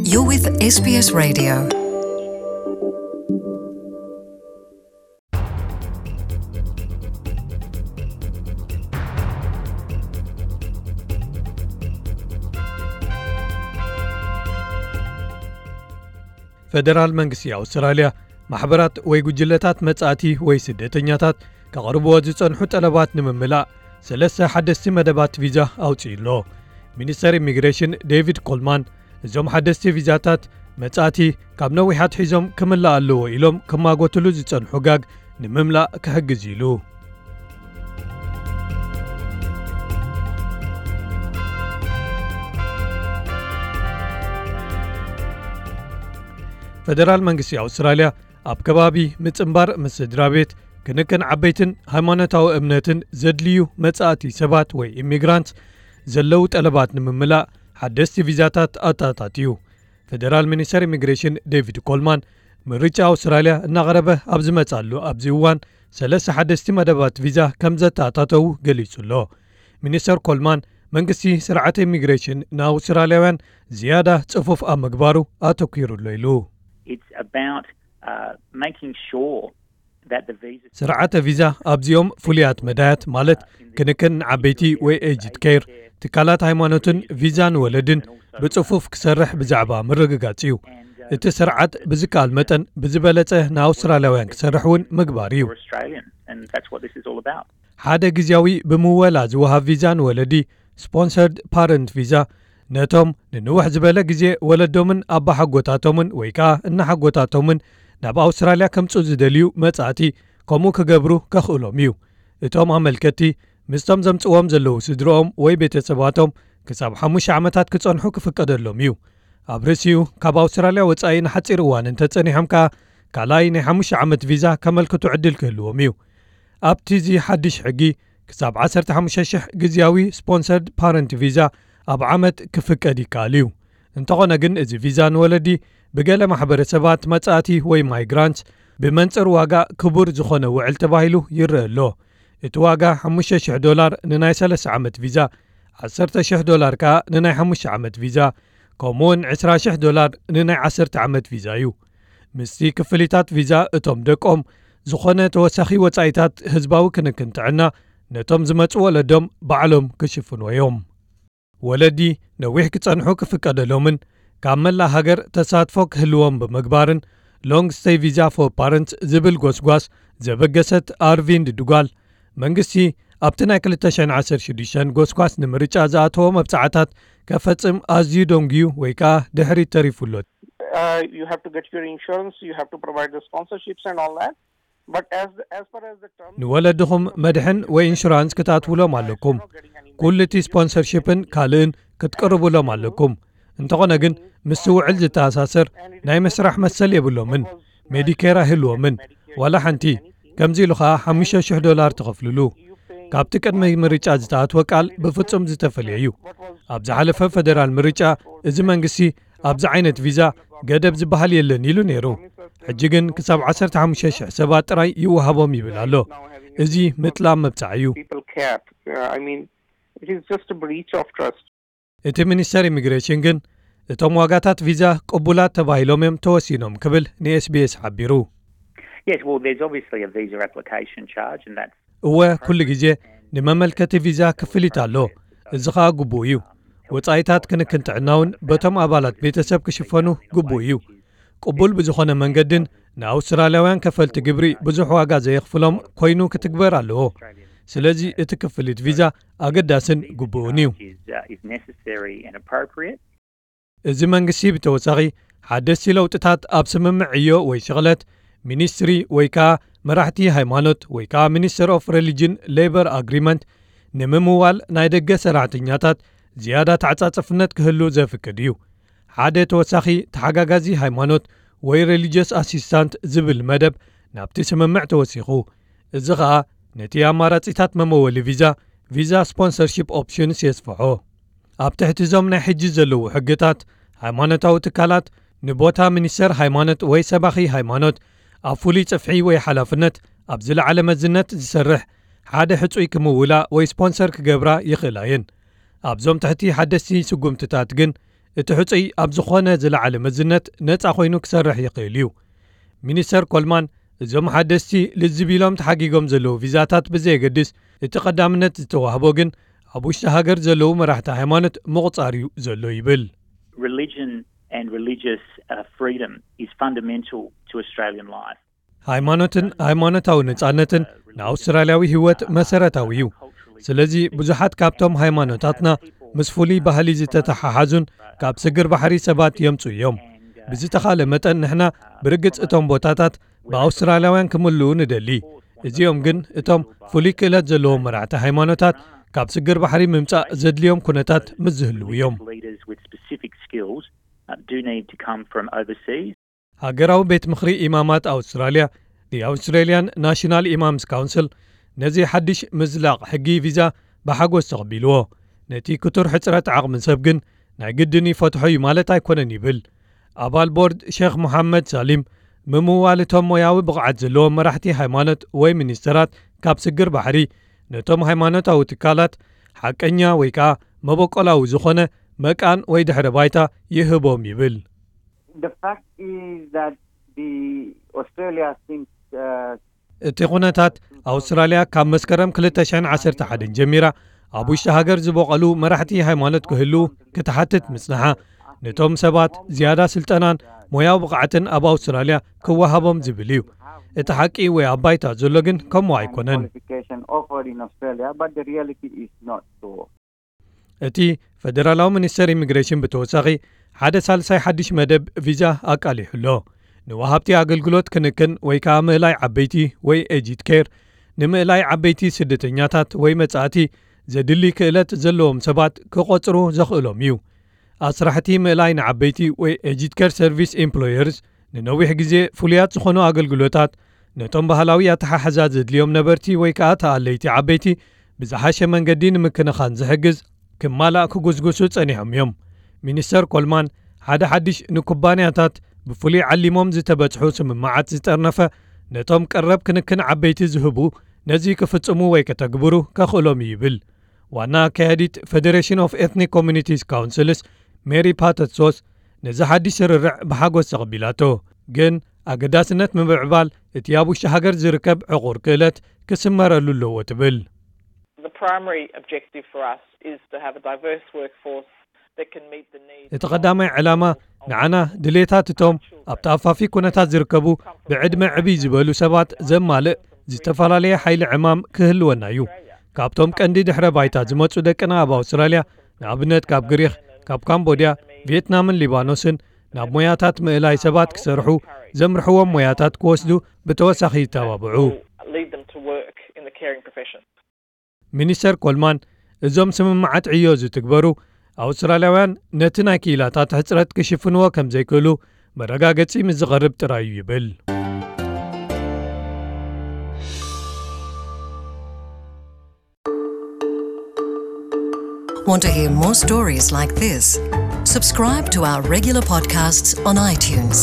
You're with S B S Radio. ፈደራል መንግስቲ ኣውስትራልያ ማሕበራት ወይ ጉጅለታት መጻእቲ ወይ ስደተኛታት ከቕርብዎ ዝጸንሑ ጠለባት ንምምላእ ሰለስተ ሓደስቲ መደባት ቪዛ ኣውጺኡ ኣሎ። ሚኒስተር ኢሚግሬሽን ዴቪድ ኮልማን እዞም ሓደስቲ ቪዛታት መጻእቲ ካብ ነዊሕ ኣትሒዞም ክምላእ ኣለዎ ኢሎም ክማጎትሉ ዝጸንሑ ጋግ ንምምላእ ክሕግዝ ኢሉ። ፈደራል መንግስቲ ኣውስትራልያ ኣብ ከባቢ ምጽንባር ምስ ስድራ ቤት፣ ክንክን ዓበይትን ሃይማኖታዊ እምነትን ዘድልዩ መጻእቲ ሰባት ወይ ኢሚግራንት ዘለዉ ጠለባት ንምምላእ ሓደስቲ ቪዛታት ኣተኣታትዩ። ፈደራል ሚኒስተር ኢሚግሬሽን ዴቪድ ኮልማን ምርጫ ኣውስትራልያ እናቐረበ ኣብ ዝመጻሉ ኣብዚ እዋን ሰለስተ ሓደስቲ መደባት ቪዛ ከም ዘተኣታተዉ ገሊጹ ኣሎ። ሚኒስተር ኮልማን መንግስቲ ስርዓት ኢሚግሬሽን ንኣውስትራልያውያን ዝያዳ ጽፉፍ ኣብ ምግባሩ ኣተኲሩ ኣሎ ኢሉ። It's about uh, making sure that the visa ስርዓተ ቪዛ ኣብዚኦም ፍሉያት መዳያት ማለት ክንክን ንዓበይቲ ወይ ኤጅድ ኬር፣ ትካላት ሃይማኖትን ቪዛ ንወለድን ብጽፉፍ ክሰርሕ ብዛዕባ ምርግጋጽ እዩ። እቲ ስርዓት ብዝከኣል መጠን ብዝበለጸ ንኣውስትራልያውያን ክሰርሕ እውን ምግባር እዩ። Australian, and that's what this is all about. ሓደ ግዜያዊ ብምወላ ዝወሃብ ቪዛ ንወለዲ፣ ስፖንሰርድ ፓረንት ቪዛ፣ ነቶም ንንውሕ ዝበለ ግዜ ወለዶምን ኣባሓጎታቶምን ወይ ከኣ እናሓጎታቶምን ናብ ኣውስትራልያ ከምጽኡ ዝደልዩ መጻእቲ ከምኡ ክገብሩ ከኽእሎም እዩ። እቶም ኣመልከቲ ምስቶም ዘምጽዎም ዘለዉ ስድርኦም ወይ ቤተሰባቶም ክሳብ ሓሙሽተ ዓመታት ክጸንሑ ክፍቀደሎም እዩ። ኣብ ርእሲኡ ካብ ኣውስትራልያ ወጻኢ ንሓጺር እዋን እንተጸኒሖም ከኣ ካልኣይ ናይ ሓሙሽተ ዓመት ቪዛ ከመልክቱ ዕድል ክህልዎም እዩ። ኣብቲ እዚ ሓድሽ ሕጊ ክሳብ ዓሰርተ ሓሙሽተ ሽሕ ግዜያዊ ስፖንሰርድ ፓረንት ቪዛ ኣብ ዓመት ክፍቀድ ይከኣል እዩ። እንተኾነ ግን እዚ ቪዛ ንወለዲ ብገለ ማሕበረሰባት መጻእቲ ወይ ማይግራንት ብመንጽር ዋጋ ክቡር ዝኾነ ውዕል ተባሂሉ ይረአ ኣሎ። እቲ ዋጋ ሓሙሽተ ሽሕ ዶላር ንናይ ሰለስተ ዓመት ቪዛ፣ ዓሰርተ ሽሕ ዶላር ከኣ ንናይ ሓሙሽተ ዓመት ቪዛ፣ ከምኡውን ዕስራ ሽሕ ዶላር ንናይ ዓሰርተ ዓመት ቪዛ እዩ። ምስቲ ክፍሊታት ቪዛ እቶም ደቆም ዝኾነ ተወሳኺ ወጻኢታት ህዝባዊ ክንክን ጥዕና ነቶም ዝመጹ ወለዶም ባዕሎም ክሽፍንዎ እዮም። ወለዲ ነዊሕ ክጸንሑ ክፍቀደሎምን ካብ መላእ ሃገር ተሳትፎ ክህልዎም ብምግባርን ሎንግ ስቴይ ቪዛ ፎር ፓረንትስ ዝብል ጎስጓስ ዘበገሰት ኣርቪንድ ዱጋል መንግስቲ ኣብቲ ናይ ክልተ ሽሕን ዓሰርተ ሽዱሽተን ጎስጓስ ንምርጫ ዝኣተዎ መብጻዕታት ከፈጽም ኣዝዩ ደንጉዩ ወይ ከኣ ድሕሪት ተሪፉ ኣሎ። Uh, you have to get your insurance, you have to provide the sponsorships and all that. But as as far as the terms ንወለድኹም መድሕን ወይ ኢንሹራንስ ክትኣትውሎም ኣለኩም። ኩሉ እቲ ስፖንሰርሺፕን ካልእን ክትቅርብሎም ኣለኩም። እንተኾነ ግን ምስቲ ውዕል ዝተኣሳሰር ናይ ምስራሕ መሰል የብሎምን። ሜዲኬር ኣይህልዎምን ዋላ ሓንቲ። ከምዚ ኢሉ ኸኣ ሓሙሽተ ሽሕ ዶላር ትኸፍልሉ። ካብቲ ቅድሚ ምርጫ ዝተኣትወ ቃል ብፍጹም ዝተፈልየ እዩ። ኣብ ዝሓለፈ ፈደራል ምርጫ እዚ መንግስቲ ኣብዚ ዓይነት ቪዛ ገደብ ዝበሃል የለን ኢሉ ነይሩ። ሕጂ ግን ክሳብ ዓሰርተ ሓሙሽተ ሽሕ ሰባት ጥራይ ይወሃቦም ይብል ኣሎ። እዚ ምጥላም መብጻዕ እዩ። People care. Uh, I mean, it is just a breach of trust. እቲ ሚኒስተር ኢሚግሬሽን ግን እቶም ዋጋታት ቪዛ ቅቡላት ተባሂሎም እዮም ተወሲኖም ክብል ን SBS ሓቢሩ። Yes, well, there's obviously a visa application charge, and that's እወ፣ ኩሉ ግዜ ንመመልከቲ ቪዛ ክፍሊት ኣሎ። እዚ ኸኣ ግቡእ እዩ። ወጻኢታት ክንክን ጥዕናውን በቶም ኣባላት ቤተሰብ ክሽፈኑ ግቡእ እዩ። ቅቡል ብዝኾነ መንገድን ንኣውስትራልያውያን ከፈልቲ ግብሪ ብዙሕ ዋጋ ዘየኽፍሎም ኮይኑ ክትግበር ኣለዎ። ስለዚ እቲ ክፍሊት ቪዛ ኣገዳስን ግቡእን እዩ። is, uh, is necessary and appropriate. እዚ መንግስቲ ብተወሳኺ ሓደስቲ ለውጥታት ኣብ ስምምዕ ዕዮ ወይ ሽቕለት ሚኒስትሪ ወይ ከኣ መራሕቲ ሃይማኖት ወይ ከኣ ሚኒስተር ኦፍ ሪሊጅን ሌበር ኣግሪመንት ንምምዋል ናይ ደገ ሰራሕተኛታት ዝያዳ ተዓጻጽፍነት ክህሉ ዘፍቅድ እዩ። ሓደ ተወሳኺ ተሓጋጋዚ ሃይማኖት ወይ ሪሊጅስ ኣሲስታንት ዝብል መደብ ናብቲ ስምምዕ ተወሲኹ። እዚ ኸኣ ነቲ ኣማራጺታት መመወሊ ቪዛ፣ ቪዛ ስፖንሰርሺፕ ኦፕሽንስ የስፍሖ። ኣብ ትሕቲ እዞም ናይ ሕጂ ዘለዉ ሕግታት፣ ሃይማኖታዊ ትካላት ንቦታ ሚኒስተር ሃይማኖት ወይ ሰባኺ ሃይማኖት ኣብ ፍሉይ ጽፍሒ ወይ ሓላፍነት ኣብ ዝለዓለ መዝነት ዝሰርሕ ሓደ ሕጹይ ክምውላ ወይ ስፖንሰር ክገብራ ይኽእላ እየን። ኣብዞም ትሕቲ ሓደስቲ ስጉምትታት ግን እቲ ሕጹይ ኣብ ዝኾነ ዝለዓለ መዝነት ነጻ ኮይኑ ክሰርሕ ይኽእል እዩ። ሚኒስተር ኮልማን፣ እዞም ሓደስቲ ልዝብ ኢሎም ተሓጊጎም ዘለዉ ቪዛታት ብዘየገድስ፣ እቲ ቀዳምነት ዝተዋህቦ ግን ኣብ ውሽጢ ሃገር ዘለዉ መራሕቲ ሃይማኖት ምቑጻር እዩ ዘሎ ይብል። Religion and religious uh, freedom is fundamental to Australian life. ሃይማኖትን ሃይማኖታዊ ነጻነትን ንኣውስትራልያዊ ህይወት መሰረታዊ እዩ። ስለዚ ብዙሓት ካብቶም ሃይማኖታትና ምስ ፍሉይ ባህሊ ዝተተሓሓዙን ካብ ስግር ባሕሪ ሰባት የምጹ እዮም። ብዝተኻለ መጠን ንሕና ብርግጽ እቶም ቦታታት ብኣውስትራልያውያን ክምልኡ ንደሊ። እዚኦም ግን እቶም ፍሉይ ክእለት ዘለዎም መራሕቲ ሃይማኖታት ካብ ስግር ባሕሪ ምምጻእ ዘድልዮም ኩነታት ምስ ዝህልዉ እዮም። Leaders with specific skills uh, do need to come from overseas. ሃገራዊ ቤት ምኽሪ ኢማማት ኣውስትራልያ፣ The Australian National Imams Council፣ ነዚ ሓድሽ ምዝላቕ ሕጊ ቪዛ ብሓጎስ ተቐቢልዎ። ነቲ ክቱር ሕጽረት ዓቕሚ ሰብ ግን ናይ ግድን ይፈትሖ እዩ ማለት ኣይኮነን ይብል። ኣባል ቦርድ ሼኽ መሓመድ ሳሊም፣ ምምዋል እቶም ሞያዊ ብቕዓት ዘለዎም መራሕቲ ሃይማኖት ወይ ሚኒስተራት ካብ ስግር ባሕሪ ነቶም ሃይማኖታዊ ትካላት ሓቀኛ ወይ ከኣ መበቆላዊ ዝኾነ መቃን ወይ ድሕረ ባይታ ይህቦም ይብል። The fact is that the Australia seems uh, እቲ ኩነታት ኣውስትራልያ ካብ መስከረም ክልተ ሽሕን ዓሰርተ ሓደን ጀሚራ ኣብ ውሽጢ ሃገር ዝበቐሉ መራሕቲ ሃይማኖት ክህልዉ ክትሓትት ምጽንሓ፣ ነቶም ሰባት ዝያዳ ስልጠናን ሞያዊ ብቕዓትን ኣብ ኣውስትራልያ ክወሃቦም ዝብል እዩ። እቲ ሓቂ ወይ ኣብ ባይታ ዘሎ ግን ከምኡ ኣይኮነን። qualification offered in Australia, but the reality is not so. እቲ ፈደራላዊ ሚኒስተር ኢሚግሬሽን ብተወሳኺ ሓደ ሳልሳይ ሓድሽ መደብ ቪዛ ኣቃሊሑ ኣሎ። ንወሃብቲ ኣገልግሎት ክንክን ወይ ከኣ ምእላይ ዓበይቲ ወይ ኤጂድ ኬር፣ ንምእላይ ዓበይቲ ስደተኛታት ወይ መጻእቲ ዘድሊ ክእለት ዘለዎም ሰባት ክቖጽሩ ዘኽእሎም እዩ። ኣስራሕቲ ምእላይ ንዓበይቲ ወይ ኤጂድ ኬር ሰርቪስ ኤምፕሎየርስ ንነዊሕ ግዜ ፍሉያት ዝኾኑ ኣገልግሎታት ነቶም ባህላዊ ኣተሓሕዛ ዘድልዮም ነበርቲ ወይ ከኣ ተኣለይቲ ዓበይቲ ብዝሓሸ መንገዲ ንምክንኻን ዝሕግዝ ክማላእ ክጉስጉሱ ጸኒሖም እዮም። ሚኒስተር ኮልማን ሓደ ሓድሽ ንኩባንያታት ብፍሉይ ዓሊሞም ዝተበጽሑ ስምምዓት ዝጠርነፈ ነቶም ቀረብ ክንክን ዓበይቲ ዝህቡ ነዚ ክፍጽሙ ወይ ከተግብሩ ከኽእሎም እዩ ይብል። ዋና ኣካያዲት ፌደሬሽን ኦፍ ኤትኒክ ኮሚኒቲስ ካውንስልስ ሜሪ ፓተትሶስ ነዚ ሓድሽ ስርርዕ ብሓጎስ ተቐቢላቶ። ግን ኣገዳስነት ምምዕባል እቲ ኣብ ውሽጢ ሃገር ዝርከብ ዕቑር ክእለት ክስመረሉ ኣለዎ ትብል። The primary objective for us is to have a diverse workforce that can meet the needs. እቲ ቀዳማይ ዕላማ ንዓና ድሌታት እቶም ኣብ ተኣፋፊ ኩነታት ዝርከቡ ብዕድመ ዕብይ ዝበሉ ሰባት ዘማልእ ዝተፈላለየ ሓይሊ ዕማም ክህልወና እዩ። ካብቶም ቀንዲ ድሕረ ባይታ ዝመጹ ደቅና ኣብ ኣውስትራልያ፣ ንኣብነት ካብ ግሪኽ፣ ካብ ካምቦድያ፣ ቪየትናምን ሊባኖስን ናብ ሞያታት ምእላይ ሰባት ክሰርሑ ዘምርሕዎም ሞያታት ክወስዱ ብተወሳኺ ይተባብዑ። Lead them to work in the caring profession. ሚኒስተር ኮልማን እዞም ስምምዓት ዕዮ ዝትግበሩ ኣውስትራልያውያን ነቲ ናይ ክኢላታት ሕጽረት ክሽፍንዎ ከም ዘይክእሉ መረጋገጺ ምስ ዝቐርብ ጥራይ እዩ ይብል። Want to hear more stories like this? Subscribe to our regular podcasts on iTunes.